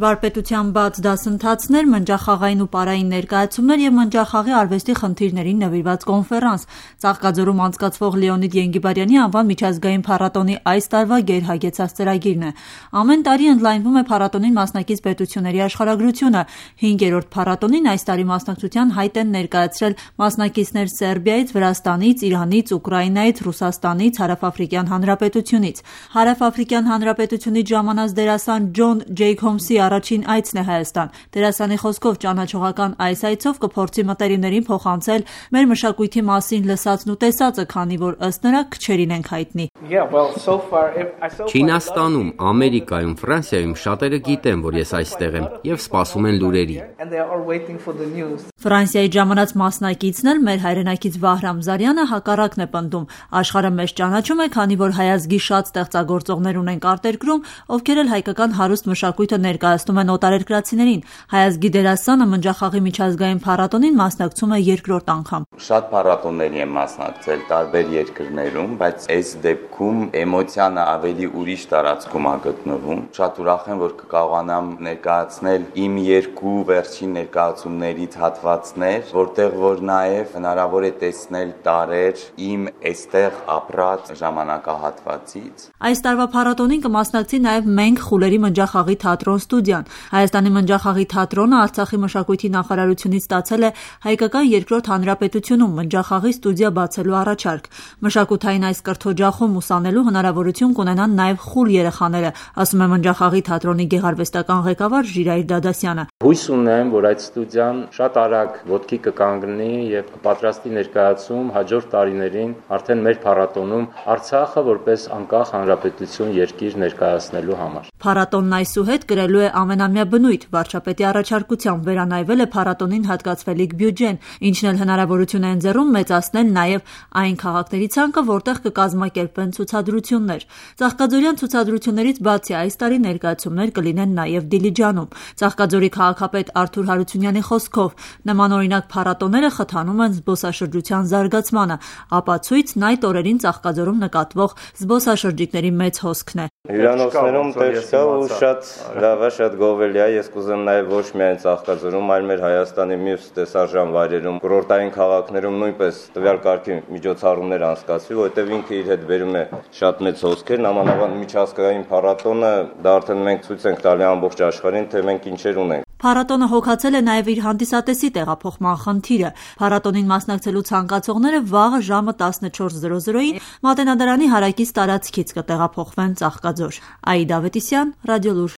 Վարպետության բաց դասընթացներ, մնջախաղային ու պարային ներկայացումներ և մնջախաղի արվեստի խնդիրներին նվիրված կոնֆերանս։ Ծաղկաձորում անցկացվող Լեոնիդ Ենգիբարյանի անվան միջազգային փառատոնի այս տարվա գերհագեցած ծրագիրն է։ Ամեն տարի ընդլայնվում է փառատոնին մասնակից պետությունների աշխարհագրությունը։ 5-րդ փառատոնին այս տարի մասնակցության հայտ են ներկայացրել մասնակիցներ Սերբիայից, Վրաստանից, Իրանից, Ուկրաինայից, Ռուսաստանից, Հարավաֆրիկյան Հանրապետությունից։ Հարավաֆրիկյան Հանրապետությունից ժամանած դերասան Ջոն Ջեյքոբսի առաջին այցն է Հայաստան։ Դերասանի խոսքով ճանաչողական այս այցով կփորձի մտերիմներին փոխանցել մեր մշակույթի մասին լսածն ու տեսածը, քանի որ ըստ նրա քչերին ենք հայտնի։ Չինաստանում, Ամերիկայում, Ֆրանսիայում շատերը գիտեն, որ ես այստեղ եմ եւ սպասում են լուրերի։ Ֆրանսիայից ժամանած մասնակիցն էլ մեր հայրենակից Վահրամ Զարյանը հակառակն է պնդում։ Աշխարհը մեզ ճանաչում է, քանի որ հայազգի շատ ստեղծագործողներ ունենք արտերկրում, ովքեր էլ հայկական հարուստ մշակույթը ներկայացնում են օտարերկրացիներին։ Հայազգի դերասանը մնջախաղի միջազգային փառատոնին մասնակցում է երկրորդ անգամ։ Շատ փառատոնների եմ մասնակցել տարբեր երկրներում, բայց այս դեպքում էմոցիանը ավելի ուրիշ տարածքում է գտնվում։ Շատ ուրախ եմ, որ կկարողանամ ներկայացնել իմ երկու վերջին ներկայացումներից հատվածներ, որտեղ որ նաև հնարավոր է տեսնել տարեր իմ այստեղ ապրած ժամանակահատվածից։ Այս տարվա փառատոնին կմասնակցի նաև Մենք խուլերի մնջախաղի թատրոն ստուդիան։ Հայաստանի մնջախաղի թատրոնը Արցախի մշակույթի նախարարությունից ստացել է հայկական երկրորդ հանրապետությունում մնջախաղի ստուդիա բացելու առաջարկ։ Մշակութային այս կրթօջախում ուսանելու հնարավորություն կունենան նաև խուլ երեխաները, ասում է մնջախաղի թատրոնի գեղարվեստական ղեկավար Ժիրայր Դադասյանը։ Հույս ունեմ, որ այդ ստուդիան շատ արագ ոտքի կկանգնի եւ կպատրաստի ներկայացում հաջորդ տարիներին արդեն մեր փառատոնում Արցախը որպես անկախ հանրապետություն երկիր ներկայացնելու համար։ Փառատոնն այսուհետ կրելու է ամենամյա բնույթ։ Վարչապետի առաջարկությամբ վերանայվել է փառատոնին հատկացվելիք բյուջեն, ինչն էլ հնարավորություն է ընձեռում մեծացնել նաև այն քաղաքների ցանկը, որտեղ կկազմակերպվեն ցուցադրություններ։ Ծաղկաձորյան ցուցադրություններից բացի այս տարի ներկայացումներ կլինեն նաև Դիլիջանում։ Ծաղկաձորի քաղաքապետ Արթուր Հարությունյանի խոսքով նմանօրինակ փառատոները խթանում են զբոսաշրջության զարգացմանը։ Ապացույցն այդ օրերին Ծաղկաձորում նկատվող զբոսաշրջիկների մեծ հոսքն է։ Հյուրանոցներում տեղ կա ու շատ լավ է, շատ գովելի է։ Ես կուզեմ նաև ոչ միայն Ծաղկաձորում, այլ մեր Հայաստանի մյուս տեսարժան վայրերում, կուրորտային քաղաքներում նույնպես տվյալ կարգի միջոցառումներ անցկացվի, որովհետև ինքը իր հետ բերում է շատ մեծ հոսքեր։ Նամանավանդ միջազգային փառատոնը դա արդեն մենք ցույց ենք տալի ամբողջ աշխարհին, թե մենք ինչեր ունենք։ Փառատոնը հոգացել է նաև իր հանդիսատեսի տեղափոխման խնդիրը։ Փառատոնին մասնակցելու ցանկացողները վաղը ժամը 14:00-ին Մատենադարանի հարակից տարածքից կտեղափոխվեն Ծաղկաձոր։ Աիդա Ավետիսյան, Ռադիոլուր։